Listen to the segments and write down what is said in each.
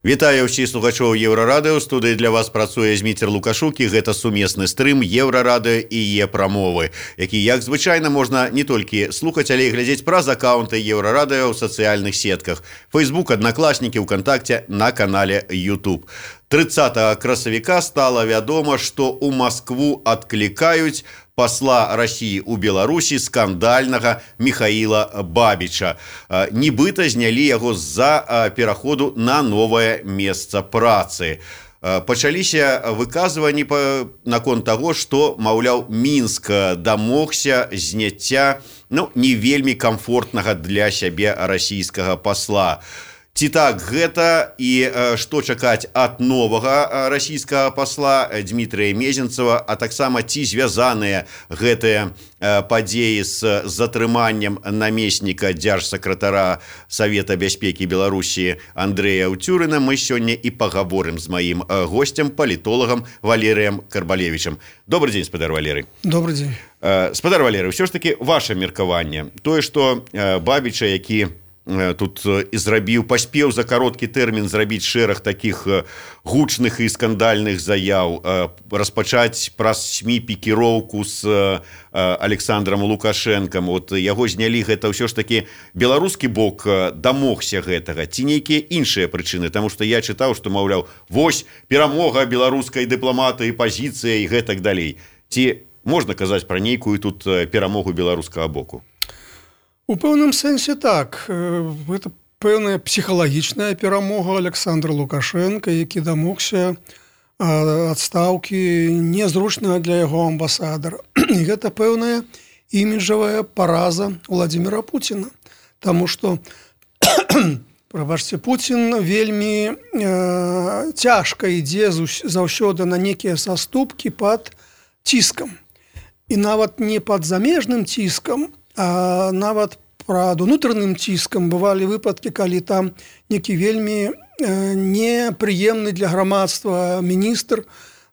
Вітаю ўсіх слухачоў Еўрарадыё. Студыі для вас працуе Зміцер Лукашук, і гэта сумесны стрым Еўрарадыё і Е-прамовы, які, як звычайна, можна не толькі слухаць, але і глядзець праз акаунты Еўрарадыё ў сацыяльных сетках. Facebook, Аднакласнікі, ВКонтакте, на канале YouTube. 30 красавіка стала вядома, што ў Маскву адклікаюць посла России у Беларусі скандальнага Михаила Бабіча. Нібыта знялі яго з-за пераходу на новае месца працы. Пачаліся выказванні наконт таго, што, маўляў, Мінск дамогся зняцця не вельмі комфортнага для сябе расійскага посла. Ці так гэта, і што чакаць ад новага расійскага посла Дмітрия Мезенцева, а таксама ці звязаныя гэтыя падзеі з затрыманнем намесніка дзяржсакратара Савета бяспекі Беларусі Андрэя Ўцюрына, мы сёння і пагаворым з маім гостем, палітолагам Валерыем Карбалевічам. Добрый дзень, спадар Валерый. Добрый дзень. Спадар Валерый, ўсё ж таки ваше меркаванне. Тое, што Бабіча, які тут і паспеў за кароткі тэрмін зрабіць шэраг такіх гучных і скандальных заяў, распачаць праз СМІ пікіроўку з Александром Лукашэнкам. Яго знялі, гэта ўсё ж такі беларускі бок дамогся гэтага, ці нейкія іншыя прычыны, таму што я чытаў, што, маўляў, вось перамога беларускай дыпламатыі, пазіцыя і гэтак далей. Ці можна казаць пра нейкую тут перамогу беларускага боку? У пэўным сэнсе так. Гэта пэўная псіхалагічная перамога Александра Лукашенка, які дамогся адстаўкі незручнага для яго амбасадара. І гэта пэўная іміджавая параза Владимира Путина. Таму што, прабачце, Путин вельмі цяжка ідзе заўсёды на некія саступкі пад ціскам. І нават не пад замежным ціскам, а нават пад унутраным ціскам бывалі выпадкі, калі там некі вельмі непрыемны для грамадства міністр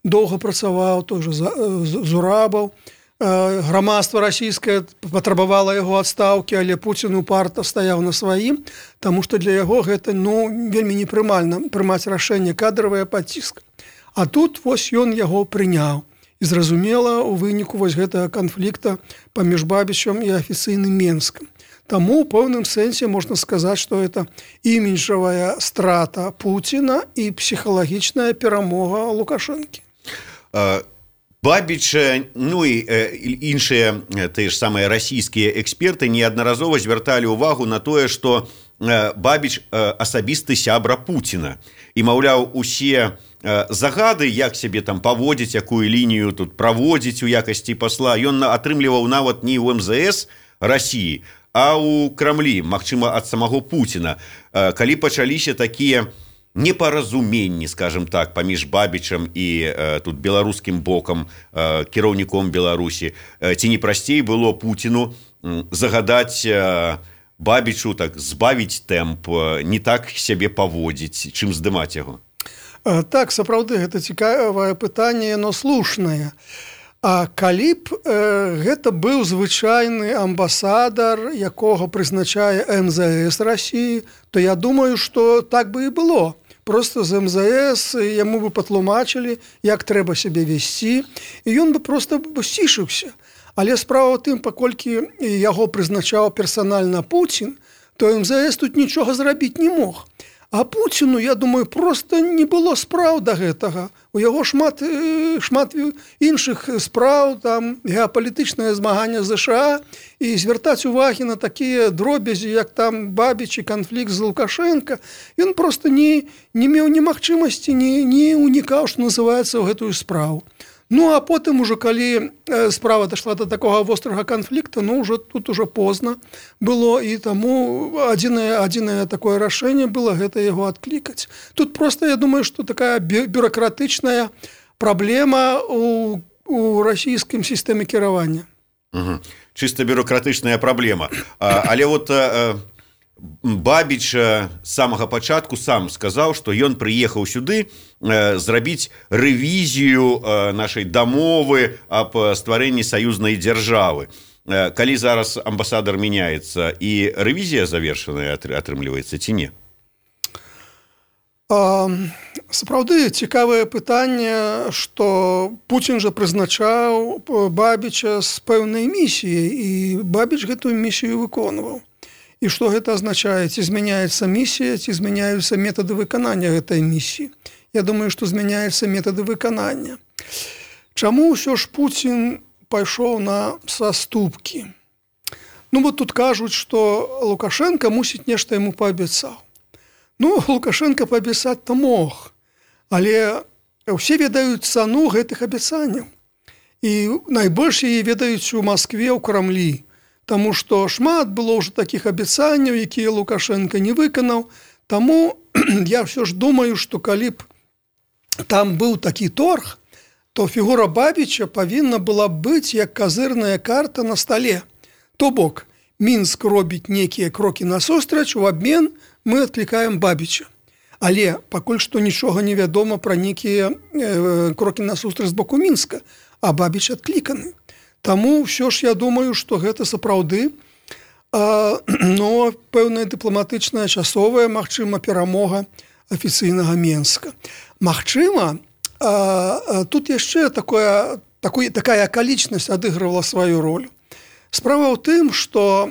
доўга працаваў, той же Зурабаў. Грамадства расійскае патрабавала яго адстаўкі, але Пуцін упарта стаяў на сваім, таму што для яго гэта вельмі непрымальна прымаць рашэнне кадравае пад ціскам. А тут вось ён яго прыняў. І зразумела, у выніку вось гэтага канфлікта паміж Бабічам і афіцыйным Менскам. Таму ў пэўным сэнсе можна сказаць, што гэта іміджавая страта Пуціна і псіхалагічная перамога Лукашэнкі. Бабіч, і іншыя тыя ж самыя расійскія эксперты неаднаразова звярталі ўвагу на тое, што Бабіч асабісты сябра Пуціна. І, маўляў, усе загады, як сябе там паводзіць, якую лінію тут праводзіць у якасці пасла, ён атрымліваў нават не ў МЗС Расіі, а ў Крамлі, магчыма, ад самого Пуціна. Калі пачаліся такія непаразуменні, скажем так, паміж Бабічам і тут беларускім бокам, кіраўніком Беларусі, ці не прасцей было Пуціну загадаць Бабічу так збавіць тэмп, не так сябе паводзіць, чым здымаць яго? Так, сапраўды, гэта цікавае пытанне, яно слушнае. А калі б гэта быў звычайны амбасадар, якога прызначае МЗС Расіі, то я думаю, што так бы і было. Просто з МЗС яму бы патлумачылі, як трэба сябе весці, і ён бы проста сцішыўся. Але справа ў тым, паколькі яго прызначаў персанальна Пуцін, то МЗС тут нічога зрабіць не мог. А Пуціну, я думаю, просто не было спраў да гэтага. У яго шмат іншых спраў, там геапалітычнае змаганне ЗША, і звяртаць увагі на такія дробязі, як там Бабіч і канфлікт з Лукашенка, ён просто не меў ні магчымасці, не унікаў, што называецца, ў гэтую справу. А потым ужо, калі справа дайшла до такога вострага канфлікта, тут ужо позна было, і таму адзінае такое рашэнне было гэта яго адклікаць. Тут просто, я думаю, што такая бюрократычная праблема у расійскім сістэме кіравання. Чыста бюрократычная праблема. Але Бабіч з самага пачатку сам сказаў, што ён прыехаў сюды зрабіць рэвізію нашай дамовы аб стварэнні саюзнай дзяржавы. Калі зараз амбасадар мяняецца, і рэвізія завершаная атрымліваецца ці не? Сапраўды цікавае пытанне, што Пуцін жа прызначаў Бабіча з пэўнай місіяй, і Бабіч гэтую місію выконваў. І што гэта азначае? Ці змяняецца місія, ці змяняюцца метады выканання гэтай місіі? Я думаю, што змяняюцца метады выканання. Чаму ўсё ж Пуцін пайшоў на саступкі? Вот тут кажуць, што Лукашенко мусіць нешта яму паабяцаў. Лукашенко паабяцаць-то мог, але ўсе ведаюць цану гэтых абяцанняў. І найбольш яе ведаюць у Маскве, ў Крамлі, таму што шмат было ўжо такіх абяцанняў, якія Лукашенко не выканаў. Таму я ўсё ж думаю, што калі б там быў такі торг, то фігура Бабіча павінна была быць як казырная карта на стале. То бок, Мінск робіць нейкія крокі насустрач, у абмен мы адклікаем Бабіча. Але пакуль што нічога не вядома пра нейкія крокі насустрач з боку Мінска, а Бабіч адкліканы. Таму ўсё ж я думаю, што гэта сапраўды пэўная дыпламатычная часовая, магчыма, перамога афіцыйнага Мінска. Магчыма, тут яшчэ такая акалічнасць адыгрывала сваю ролю. Справа ў тым, што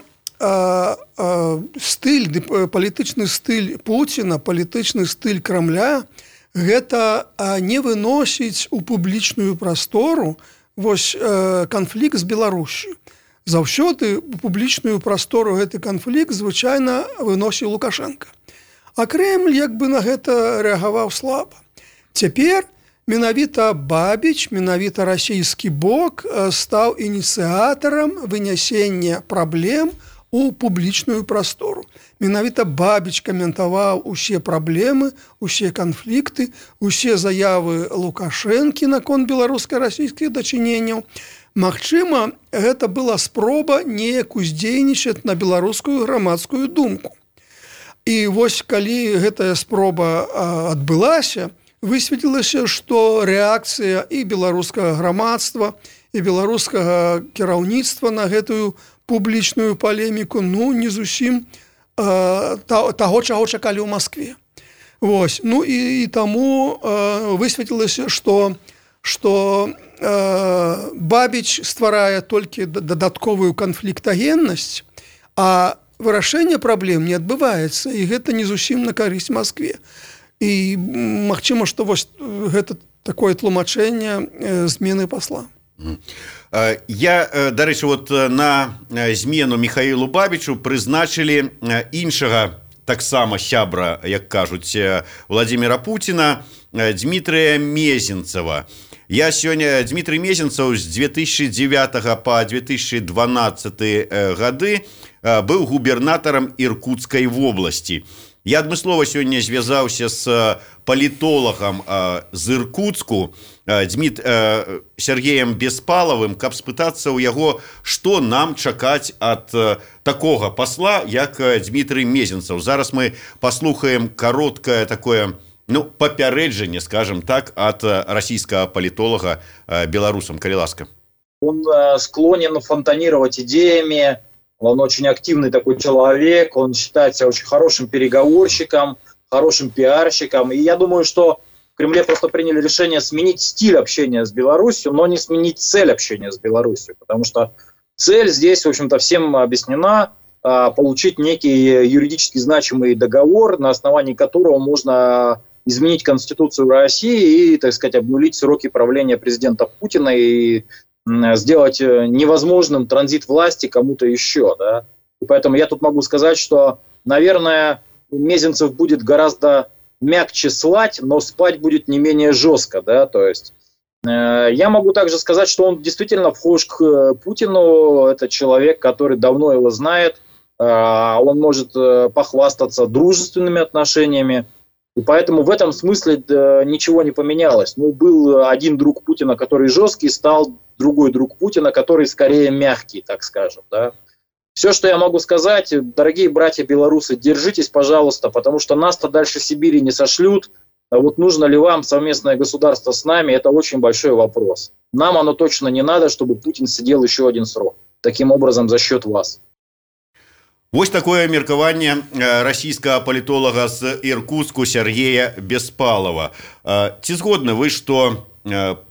палітычны стыль Пуціна, палітычны стыль Крамля гэта не выносіць у публічную прастору канфлікт з Беларусю. Заўсёды у публічную прастору гэты канфлікт звычайна выносіў Лукашенко. А Кремль на гэта рэагаваў слаба. Цяпер менавіта Бабіч, менавіта расійскі бок стаў ініцыятарам вынясення праблем у публічную прастору. Менавіта Бабіч каментаваў усе праблемы, усе канфлікты, усе заявы Лукашэнкі наконт беларуска-расійскіх дачыненняў. Магчыма, гэта была спроба неяк уздзейнічаць на беларускую грамадскую думку. І калі гэтая спроба адбылася, высветлілася, што рэакцыя і беларускага грамадства, і беларускага кіраўніцтва на гэтую публічную палеміку не зусім таго, чаго чакалі ў Маскве. І таму высветлілася, што Бабіч стварае толькі дадатковую канфліктагеннасць, а вырашэнне праблем не адбываецца, і гэта не зусім на карысць Маскве. І магчыма, што гэта такое тлумачэнне змены пасла. Я, дарэчы, на змену Міхаілу Бабічу прызначылі іншага таксама сябра, як кажуць, Владзіміра Пуціна, Дмітрыя Мезенцава. Дмітрый Мезенцаў з 2009 па 2012 гады быў губернатарам Іркутскай вобласці. Я адмыслова сёння звязаўся з палітолагам з Іркутску, Сергеем Беспалавым, каб спытацца ў яго, што нам чакаць ад такога пасла, як Дмітрый Мезенцаў. Зараз мы паслухаем кароткае такое папярэджанне, скажем так, ад расійскага палітолага беларусам. Калі ласка. Он склонен фонтанировать идеями, он очень активный такой человек, он считается очень хорошим переговорщиком, хорошим пиарщиком. И я думаю, что в Кремле просто приняли решение сменить стиль общения с Беларусью, но не сменить цель общения с Беларусью. Потому что цель здесь, в общем-то, всем объяснена: получить некий юридически значимый договор, на основании которого можно изменить Конституцию России и, так сказать, обнулить сроки правления президента Путина и сделать невозможным транзит власти кому-то еще. Да? И поэтому я тут могу сказать, что, наверное, Мезенцев будет гораздо мягче слать, но спать будет не менее жестко. Да? То есть я могу также сказать, что он действительно вхож к Путину. Это человек, который давно его знает. Он может похвастаться дружественными отношениями. И поэтому в этом смысле ничего не поменялось. Был один друг Путина, который жесткий, стал другой друг Путина, который скорее мягкий, так скажем. Да? Все, что я могу сказать, дорогие братья белорусы, держитесь, пожалуйста, потому что нас-то дальше Сибири не сошлют. А нужно ли вам совместное государство с нами, это очень большой вопрос. Нам оно точно не надо, чтобы Путин сидел еще один срок. Таким образом, за счет вас. Вось такое меркаванне расійскага палітолага з Іркутску Сергея Беспалова. Ці згодны вы, што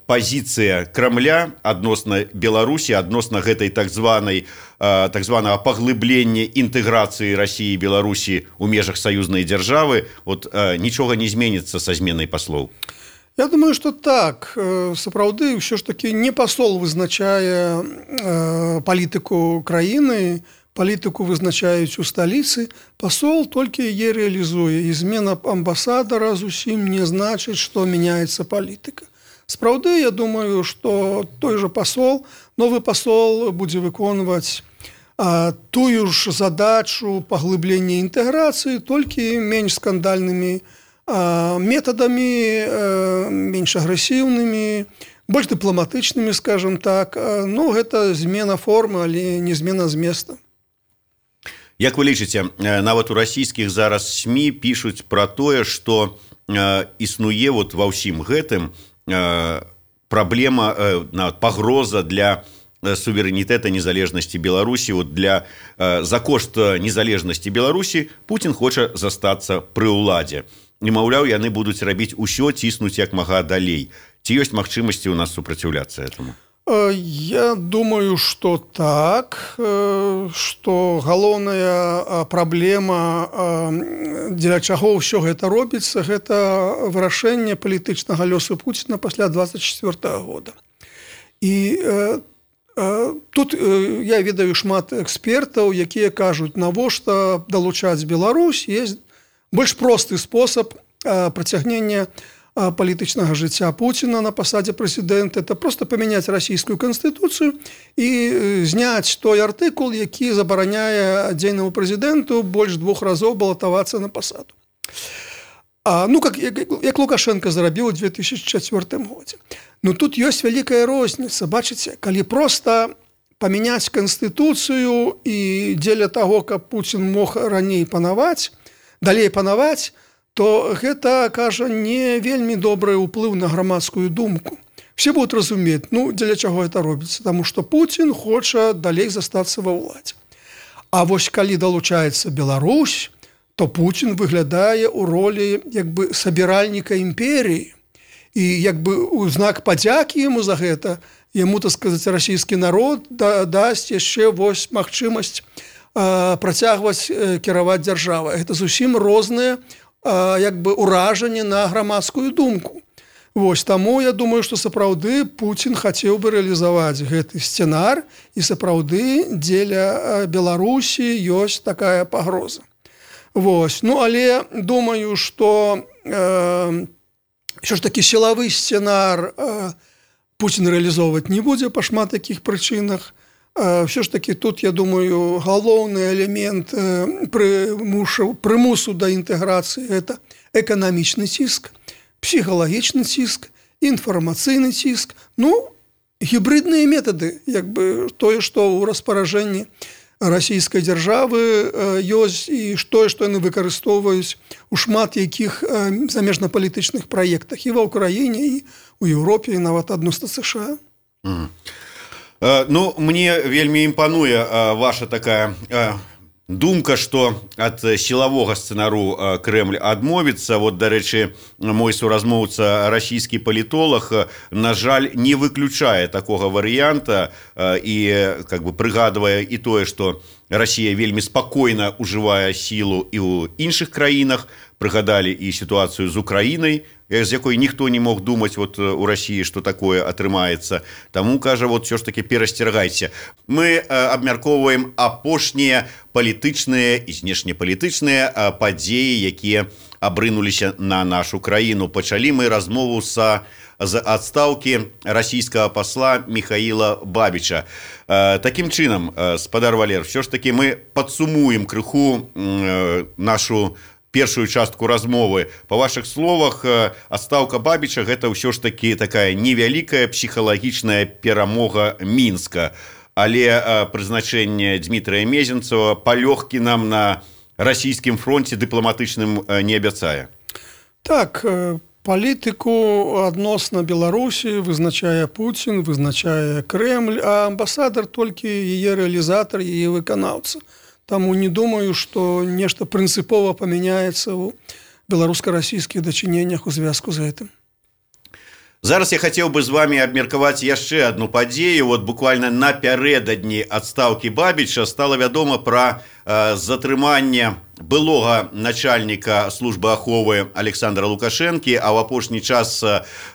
пазіцыя Крамля адносна Беларусі, адносна гэтай так званага паглыблення інтэграцыі Расіі і Беларусі ў межах саюзнай дзяржавы, нічога не зменіцца са зменай паслоў? Я думаю, что так. Сапраўды, ўсё ж таки не пасол вызначае палітыку краіны, палітыку вызначаюць у сталіцы, пасол толькі яе рэалізуе. І змена амбасадара зусім не значыць, што мяняецца палітыка. Сапраўды, я думаю, што той жа пасол, новы пасол будзе выконваць тую ж задачу паглыблення інтэграцыі, толькі менш скандальнымі метадамі, менш агрэсіўнымі, больш дыпламатычнымі, скажем так. Ну, гэта змена формы, але не змена зместа. Як вы лічыце, нават у расійскіх зараз СМІ пішуць пра тое, што існуе ва ўсім гэтым праблема, пагроза для суверэнітэта незалежнасці Беларусі. За кошт незалежнасці Беларусі Путін хоча застацца пры ўладзе. І, маўляў, яны будуць рабіць усё, ціснуць як мага далей. Ці ёсць магчымасці ў нас супраціўляцца этому? Я думаю, что так, что галоўная праблема, дзеля чаго ўсё гэта робіцца, гэта вырашэнне палітычнага лёсу Пуціна пасля 24 года. І тут я ведаю шмат экспертаў, якія кажуць, навошта далучаць Беларусь, есть больш просты спосаб працягнення палітычнага жыцця Пуціна на пасадзе прэзідэнта, это просто памяняць расійскую канстытуцыю і зняць той артыкул, які забараняе дзейнаму прэзідэнту больш 2 разоў балатавацца на пасаду. Як Лукашенко зрабіў у 2004 годзе. Ну тут ёсць вялікая розніца, бачыце, калі просто памяняць канстытуцыю і дзеля таго, каб Пуцін мог раней далей панаваць, то гэта, кажа, не вельмі добры ўплыў на грамадскую думку. Все будуць разумець, дзеля чаго гэта робіцца, таму што Пуцін хоча далей застацца ва ўладзе. А вось калі далучаецца Беларусь, то Пуцін выглядае ў ролі сабіральніка імперіі. І у знак падзякі яму за гэта, яму, так сказаць, расійскі народ дасць яшчэ магчымасць працягваць кіраваць дзяржавай. Гэта зусім розныя уражанне на грамадскую думку. Таму я думаю, што сапраўды Пуцін хацеў бы рэалізаваць гэты сцэнар, і сапраўды дзеля Беларусі ёсць такая пагроза. Але думаю, што ўсё ж такі сілавы сцэнар Пуцін рэалізоўваць не будзе па шмат такіх прычынах. Все ж таки тут, я думаю, галоўны элемент прымусу да інтэграцыі – это эканамічны ціск, псіхалагічны ціск, інфармацыйны ціск, гібридныя метады, тое, што ў распаражэнні расійскай дзяржавы ёсць, і тое, што яны выкарыстоўваюць у шмат якіх замежнапалітычных праектах і ва ўкраіне, і ў Еўропе, і нават адносна США. Мне вельмі імпануе ваша такая думка, што ад сілавога сцэнару Крэмль адмовіцца. Дарэчы, мой суразмоўца, расійскі палітолаг, на жаль, не выключае такога варыянта і прыгадвае і тое, што Расія вельмі спакойна ўжывае сілу і ў іншых краінах. Прыгадалі і сітуацыю з Украінай, з якой ніхто не мог думаць у Расіі, што такое атрымаецца. Таму, кажа, ўсё ж такі перасцерагайце. Мы абмяркоўваем апошнія палітычныя і знешнепалітычныя падзеі, якія абрынуліся на нашу краіну. Пачалі мы размову з адстаўкі расійскага пасла Михаіла Бабіча. Такім чынам, спадар Валер, ўсё ж такі мы падсумуем крыху нашу першую частку размовы. Па вашых словах, адстаўка Бабіча – гэта ўсё ж такі такая невялікая псіхалагічная перамога Мінска. Але прызначэнне Дмітрыя Мезенцева палёгкі нам на расійскім фронце дыпламатычным не абяцае. Так, палітыку адносна Беларусі вызначае Пуцін, вызначае Крэмль, а амбасадар толькі яе рэалізатар, яе выканаўца. таму не думаю, што нешта прынцыпова памяняецца ў беларуска-расійскіх дачыненнях у звязку з гэтым. Зараз я хацеў бы з вами абмеркаваць яшчэ одну падзею. Вот буквально напярэдадні адстаўкі Бабіча стала вядома пра затрыманне былога начальніка службы аховы Александра Лукашэнкі, а ў апошні час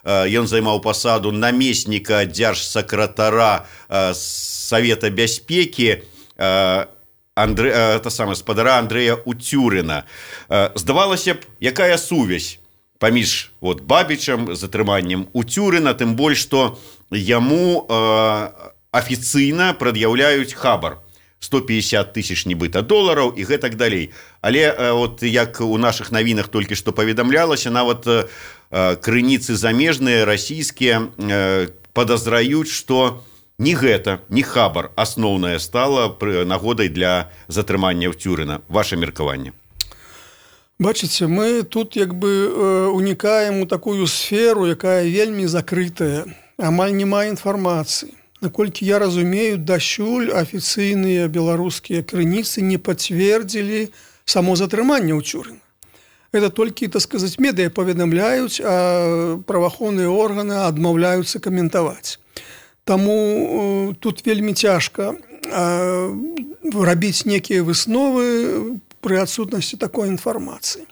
ён займаў пасаду намесніка дзяржсакратара Савета бяспекі спадара Андрэя Уцюрына. Здавалася б, якая сувязь паміж Бабічам, затрыманнем Уцюрына, тым больш, што яму афіцыйна прад'яўляюць хабар 150 тысяч нібыта долараў і гэтак далей. Але як у нашых навінах толькі што паведамлялася, нават крыніцы замежныя, расійскія, падазраюць, што не гэта, не хабар асноўнае стала нагодай для затрымання Уцюрына. Ваше меркаванне? Бачыце, мы тут унікаем у такую сферу, якая вельмі закрытая, амаль няма інфармацыі. Наколькі я разумею, дасюль афіцыйныя беларускія крыніцы не пацвердзілі само затрыманне Уцюрына. Это толькі, так сказаць, медыя паведамляюць, а праваахоўныя органы адмаўляюцца каментаваць. Таму тут вельмі цяжка рабіць некія высновы пры адсутнасці такой інфармацыі.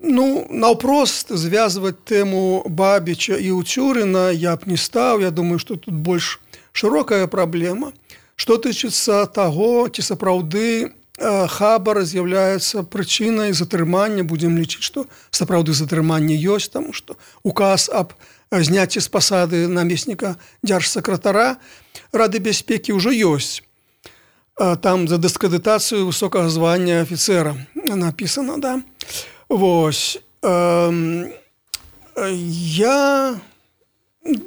Наўпрост звязваць тэму Бабіча і Уцюрына я б не стаў. Я думаю, што тут больш шырокая праблема. Што тычыцца таго, ці сапраўды хабар з'яўляецца прычынай затрымання, будзем лічыць, што сапраўды затрыманне ёсць, таму што указ аб зняцці з пасады намесніка дзяржсакратара Рады бяспекі ўжо ёсць. Там за дыскрэдытацыю высокага звання афіцэра напісана, да? Вось. Я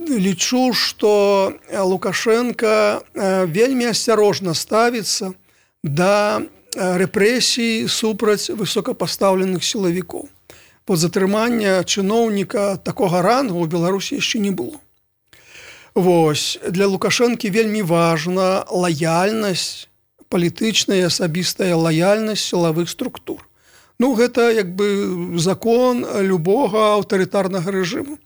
лічу, што Лукашенко вельмі асцярожна ставіцца да рэпрэсій супраць высокапастаўленых сілавікоў. Затрымання чыноўніка такога рангу ў Беларусі яшчэ не было. Вось. Для Лукашэнкі вельмі важна лаяльнасць, палітычная асабістая лаяльнасць сілавых структур. Гэта закон любога аўтарытарнага рэжыму.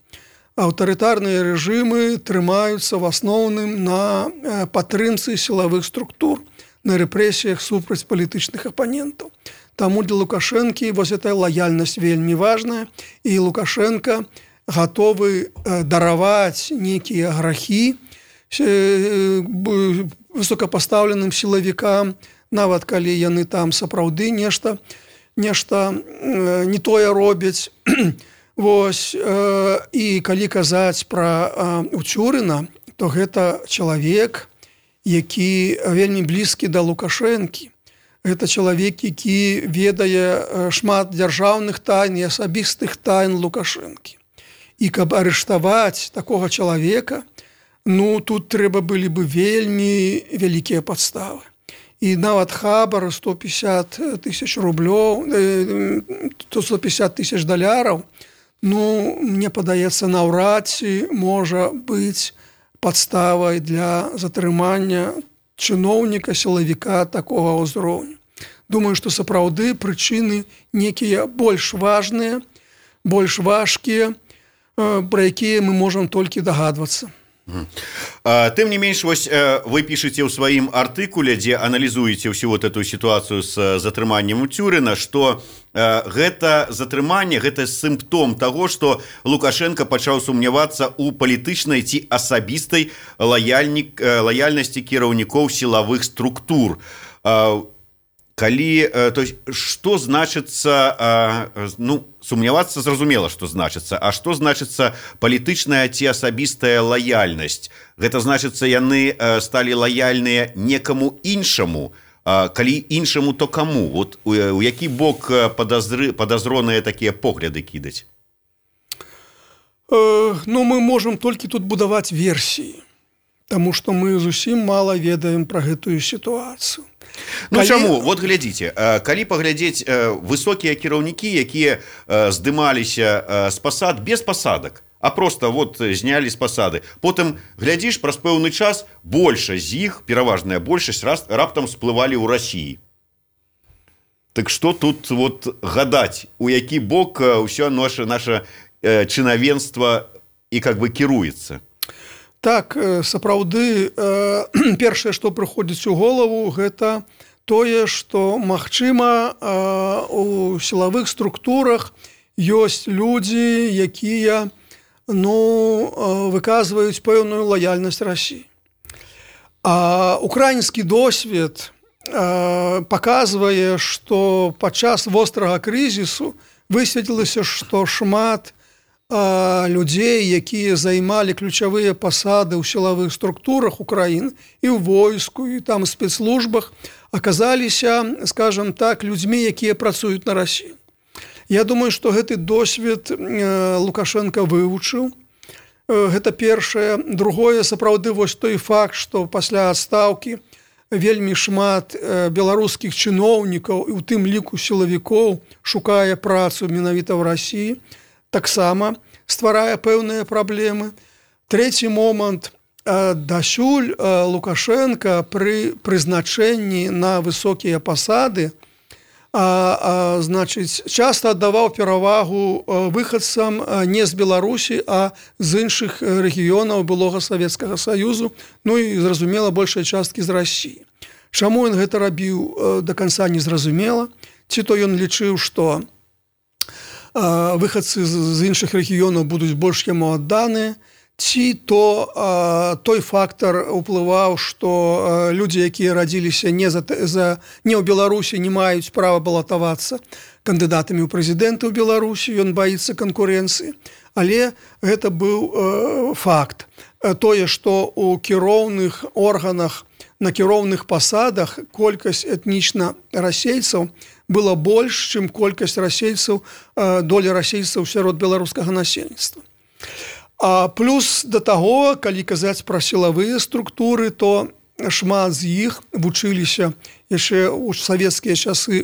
Аўтарытарныя рэжымы трымаюцца в асноўным на падтрымцы сілавых структур, на рэпрэсіях супраць палітычных апанентаў. Таму для Лукашэнкі эта лаяльнасць вельмі важная, і Лукашенко гатовы дараваць нейкія грахі высокапастаўленым сілавікам, нават калі яны там сапраўды нешта не тое робяць. Вось. І калі казаць пра Уцюрына, то гэта чалавек, які вельмі блізкі да Лукашэнкі. Гэта чалавек, які ведае шмат дзяржаўных тайн і асабістых тайн Лукашэнкі. І каб арыштаваць такога чалавека, тут трэба былі бы вельмі вялікія падставы. І нават хабар 150 тысяч рублёў, 150 тысяч даляраў, мне падаецца, наўрад ці можа быць падставай для затрымання чыноўніка, сілавіка такога ўзроўню. Думаю, што сапраўды прычыны некія больш важныя, больш важкія, пра якія мы можам толькі дагадвацца. Тым не менш, вы пішаце ў сваім артыкуле, дзе аналізуеце ўсю эту сітуацыю з затрыманнем Уцюрына, што гэта затрыманне, гэта сімптом таго, што Лукашенко пачаў сумнявацца ў палітычнай ці асабістай лаяльнасці кіраўнікоў сілавых структур. Што значыцца, сумнявацца зразумела, што значыцца, а што значыцца палітычная ці асабістая лаяльнасць? Гэта значыцца, яны сталі лаяльныя некаму іншаму, калі іншаму, то каму? У які бок падазроныя такія погляды кідаць? Мы можам толькі тут будаваць версіі, таму што мы зусім мала ведаем пра гэтую сітуацыю. Чаму? Глядзіце, калі паглядзець высокія кіраўнікі, якія здымаліся з пасад без пасадак, а просто вот знялі з пасады. Потым глядзіш, праз пэўны час большасць з іх, пераважная большасць, раптам сплывалі ў Расіі. Так што тут вот гадаць, у які бок ўсё наша чынавенства і как бы кіруецца? Так, сапраўды, першае, што прыходзіць у голову, гэта тое, што, магчыма, у сілавых структурах ёсць людзі, якія выказваюць пэўную лаяльнасць Расіі. А украінскі досвед паказвае, што падчас вострага крызісу высветлілася, што шмат людзей, якія займалі ключавыя пасады ў сілавых структурах Украіны і ў войску, і там спецслужбах, аказаліся, скажам так, людзьмі, якія працуюць на Расію. Я думаю, што гэты досвед Лукашенко вывучыў. Гэта першае. Другое, сапраўды, вось той факт, што пасля адстаўкі вельмі шмат беларускіх чыноўнікаў і ў тым ліку сілавікоў шукае працу менавіта ў Расіі, таксама стварае пэўныя праблемы. Трэці момант. Дасюль Лукашенко пры прызначэнні на высокія пасады часта аддаваў перавагу выхадцам не з Беларусі, а з іншых рэгіёнаў былога Савецкага Саюзу, і, зразумела, большай часткі з Расіі. Чаму ён гэта рабіў, да канца не зразумела. Ці то ён лічыў, што выхадцы з іншых рэгіёнаў будуць больш яму адданыя, ці то той фактар уплываў, што людзі, якія радзіліся не ў Беларусі, не маюць права балатавацца кандыдатамі ў прэзідэнты ў Беларусі, ён баіцца канкурэнцыі. Але гэта быў факт. Тое, што ў кіроўных органах, на кіроўных пасадах колькасць этнічна расейцаў была больш, чым колькасць расейцаў, доля расейцаў сярод беларускага насельніцтва. А плюс да таго, калі казаць пра сілавыя структуры, то шмат з іх вучыліся яшчэ ў савецкія часы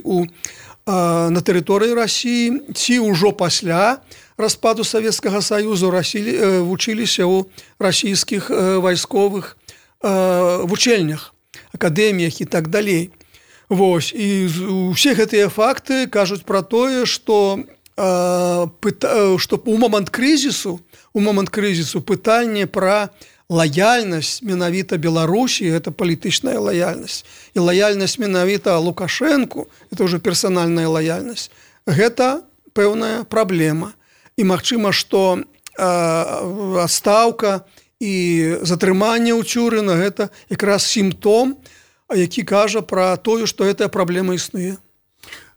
на тэрыторыі Расіі, ці ўжо пасля распаду Савецкага Саюзу вучыліся ў расійскіх вайсковых вучэльнях, акадэміях і так далей. Вось, і ўсе гэтыя факты кажуць пра тое, што у момант крызісу пытанне пра лаяльнасць менавіта Беларусі, гэта палітычная лаяльнасць, і лаяльнасць менавіта Лукашэнку, это ўжо персанальная лаяльнасць, гэта пэўная праблема. І магчыма, што адстаўка і затрыманне ў Цюрына гэта якраз сімптом, які кажа пра тое, што гэтая праблема існуе.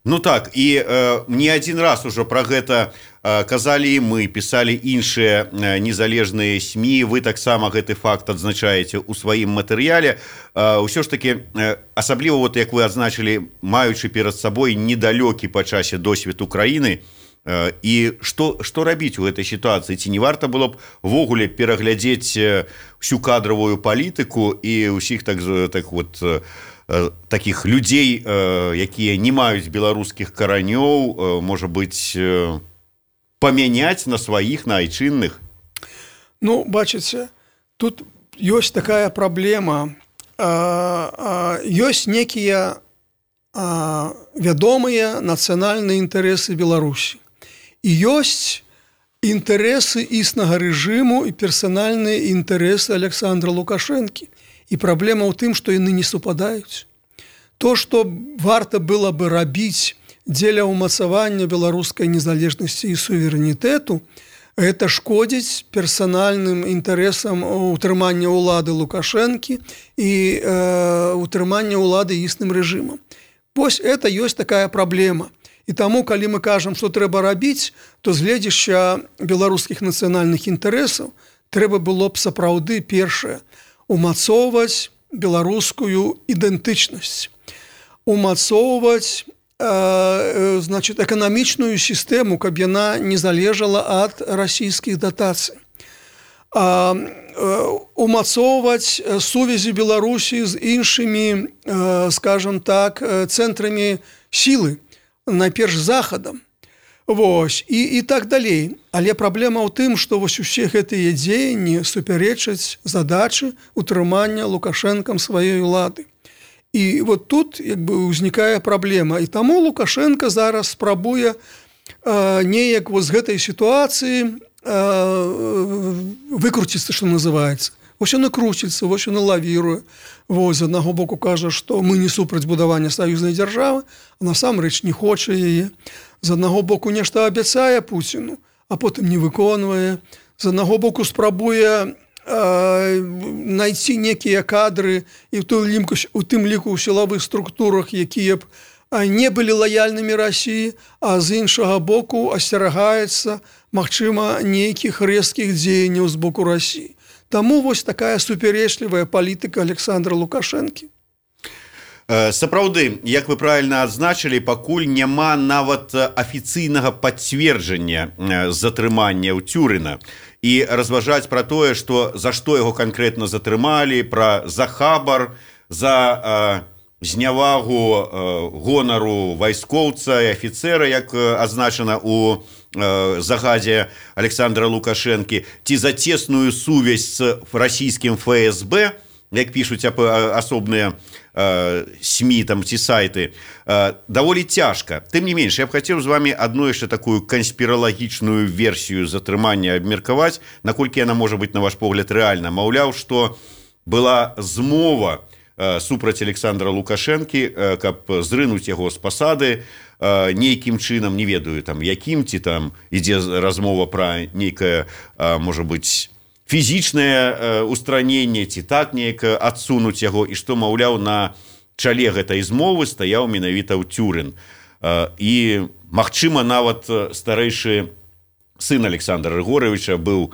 Ну так, і не адзін раз ужо пра гэта казалі і мы, пісалі іншыя незалежныя СМІ, вы таксама гэты факт адзначаеце ў сваім матэрыяле. Усё ж такі, асабліва, вот, як вы адзначылі, маючы перад сабой недалёкі па часе досвед Украіны, і што рабіць у гэтай сітуацыі? Ці не варта было б ввогуле пераглядзець всю кадравую палітыку і ўсіх такіх людзей, якія не маюць беларускіх каранёў, можа быць, памяняць на сваіх, на айчынных? Ну, бачыце, тут ёсць такая праблема. Ёсць некія вядомыя нацыянальныя інтарэсы Беларусі. І ёсць інтарэсы існага рэжыму і персанальныя інтарэсы Александра Лукашэнкі. І праблема ў тым, што яны не супадаюць. То, што варта было бы рабіць дзеля ўмацавання беларускай незалежнасці і суверэнітэту, гэта шкодзіць персанальным інтарэсам утрымання ўлады Лукашэнкі і утрымання ўлады існым рэжымам. Вось гэта ёсць такая праблема. І таму, калі мы кажам, што трэба рабіць, то з гледзяща беларускіх нацыянальных інтарэсаў трэба было б сапраўды першае умацоўваць беларускую ідэнтычнасць, умацоўваць эканамічную сістэму, каб яна не залежала ад расійскіх датацый, умацоўваць сувязі Беларусі з іншымі, скажам так, цэнтрамі сілы, найперш захадам. Вось, і так далей. Але праблема ў тым, што вось усе гэтыя дзеянні супярэчаць задачы утрымання Лукашэнкам сваёй улады. І вот тут як бы ўзнікае праблема. І таму Лукашенко зараз спрабуе неяк вот з гэтай сітуацыі выкруціцца, што называецца. Вось ён круціцца, вось ён лавіруе. Вось, з аднаго боку кажа, што мы не супраць будавання саюзнай дзяржавы, а насамрэч не хоча яе. З аднаго боку нешта абяцае Пуціну, а потым не выконвае. З аднаго боку спрабуе найти некія кадры і у тым ліку ў сілавых структурах, якія б не былі лаяльнымі Расіі, а з іншага боку асцерагаецца, магчыма, нейкіх рэзкіх дзеянняў з боку Расіі. Таму вось такая супярэчлівая палітыка Александра Лукашэнкі. Сапраўды, як вы правильно адзначылі, пакуль няма нават афіцыйнага пацверджання затрымання Тюрына. І разважаць пра тое, што за што яго канкрэтна затрымалі, пра захабар, за знявагу гонару вайскоўца і афіцэра, як адзначана ў загадзе Александра Лукашэнкі, ці за цесную сувязь з расійскім ФСБ, як пішуць асобныя СМІ там, ці сайты, даволі цяжка. Тым не менш, я б хацеў з вами адну яшчэ такую канспіралагічную версію затрымання абмеркаваць, наколькі яна можа быць, на ваш погляд, рэальна. Маўляў, што была змова супраць Александра Лукашэнкі, каб зрынуць яго з пасады нейкім чынам, не ведаю, там, якім, ці там ідзе размова пра нейкае, можа быць, фізічнае устраненне, ці так неяк адсунуць яго, і што, маўляў, на чале гэтай змовы стаяў менавіта Тюрын. І, магчыма, нават старэйшы сын Александра Рыгоровича быў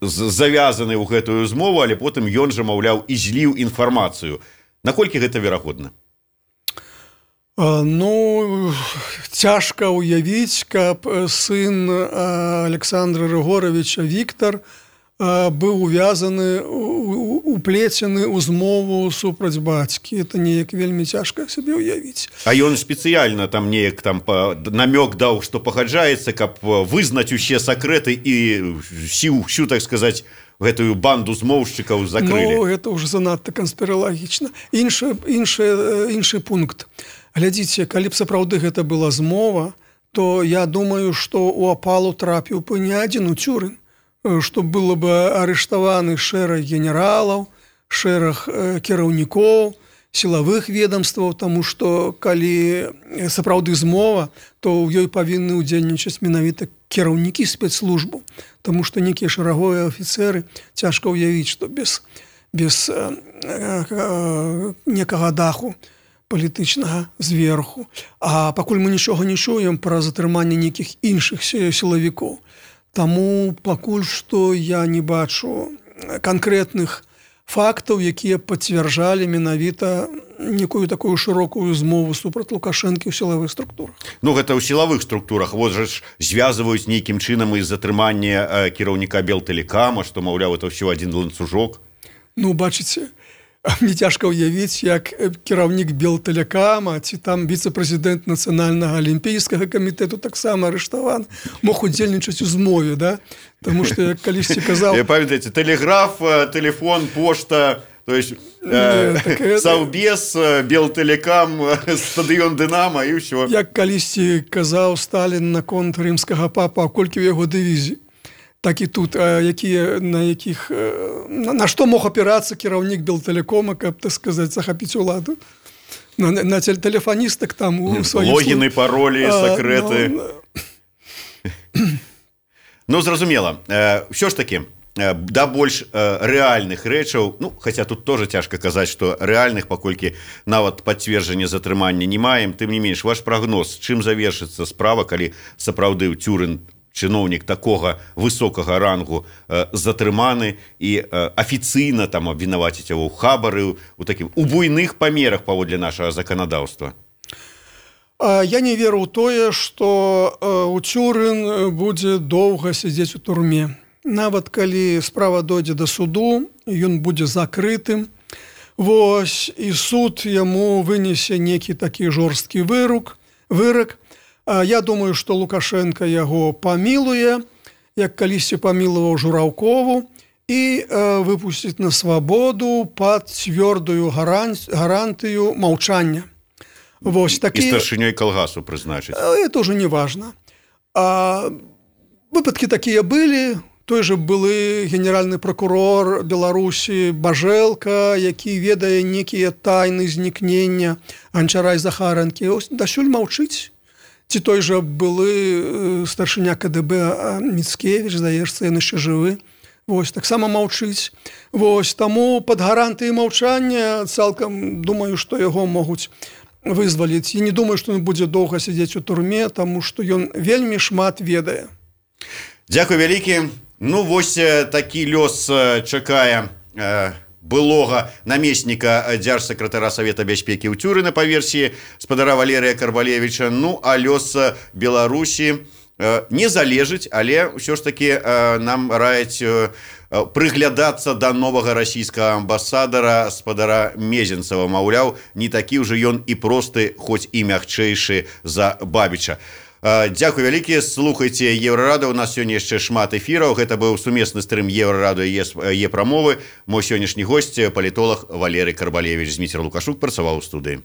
завязаны ў гэтую змову, але потым ён жа, маўляў, і зліў інфармацыю. Наколькі гэта верагодна? Ну, цяжка ўявіць, каб сын Александра Рыгоровича Віктор быў увязаны, уплецены ў змову супраць бацькі. Это неяк вельмі цяжка сабе ўявіць. А ён спецыяльна там неяк там намёк даў, што пагаджаецца, каб вызнаць усе сакрэты і всю, так сказаць, гэтую банду змоўшчыкаў закрылі. Ну, гэта ўжо занадта канспіралагічна. Іншы пункт. Глядзіце, калі б сапраўды гэта была змова, то я думаю, што ў апалу трапіў бы не адзін Тюрын, што было бы арыштаваны шэраг генералаў, шэраг кіраўнікоў, сілавых ведомстваў, таму што калі сапраўды змова, то ў ёй павінны ўдзельнічаць менавіта кіраўнікі спецслужбаў, таму што нейкія шэраговыя афіцэры цяжка ўявіць, што без некага даху палітычнага зверху. А пакуль мы нічога не чуем пра затрыманне нейкіх іншых сілавікоў. Таму пакуль што я не бачу канкрэтных фактаў, якія пацвярджалі менавіта некую такую шырокую змову супраць Лукашэнкі ў сілавых структурах. Ну, гэта ў сілавых структурах. Вот жа ж звязваюць нейкім чынам і затрыманне кіраўніка Белтэлекама, што, маўляў, это ўсё адзін ланцужок. Ну, бачыце, мне цяжка ўявіць, як кіраўнік Белтэлекама ці там віцэ-прэзідэнт Нацыянальнага алімпійскага камітэту таксама арыштаваны, мог удзельнічаць у змове, да? Таму што, як калісьці казаў... Памятаеце, тэлеграф, тэлефон, пошта, то есть Саўбез, Белтэлекам, стадыён Дынама і ўсё. Як калісьці казаў Сталін наконт рымскага папа, а колькі ў яго дывізій. Так і тут, на што мог апірацца кіраўнік Белтэлекома, каб, так сказаць, захапіць уладу? На тэлефаністак там у сваім... Логіны, паролі, сакрэты. Ну, зразумела. Ўсё ж такі, да больш рэальных рэчаў, ну, хаця тут тоже цяжка казаць, што рэальных, паколькі нават пацверджання затрымання не маем, тым не менш, ваш прагноз, чым завершыцца справа, калі сапраўды Тюрын, чыноўнік такога высокага рангу, затрыманы і афіцыйна там абвінаваціць яго ў хабары, у буйных памерах паводле нашага заканадаўства? Я не веру ў тое, што Тюрын будзе доўга сядзець у турме. Нават калі справа дойдзе да суду, ён будзе закрытым. Вось, і суд яму вынесе некі такі жорсткі вырак, Я думаю, што Лукашенко яго памілуе, як калісьці памілаваў Жураўкову, і выпусціць на свабоду пад цвёрдую гарантыю маўчання. Вось такі... І старшынёй калгасу прызначыць. Это уже не важно. Выпадкі такія былі. Той же былы генеральны прокурор Беларусі Бажэлка, які ведае некія тайны знікнення Ганчара і Захаранкі. Дасюль маўчыць. Ці той же былы старшыня КДБ Міцкевіч, здаецца, ён яшчэ жывы. Вось, таксама маўчыць. Вось, таму пад гарантыяй маўчання цалкам думаю, што яго могуць вызваліць. І не думаю, што ён будзе доўга сядзець у турме, таму што ён вельмі шмат ведае. Дзякуй вялікі. Ну, вось такі лёс чакае былога намесніка дзяржсакратара Савета бяспекі ў Цюрына па версіі спадара Валерыя Карбалевіча. Ну, а лёс Беларусі не залежыць, але ўсё ж такі нам раяць прыглядацца да новага расійскага амбасадара спадара Мезенцава. Маўляў, не такі ўжо ён і просты, хоць і мякчэйшы за Бабіча. Дзякуй вялікі, слухайце Еўрарада, у нас сёння яшчэ шмат эфіраў. Гэта быў сумесны стрым Еўрарада і Е-прамовы. Мой сённяшні госць, палітолог Валерый Карбалевіч. Зміцер Лукашук працаваў у студыі.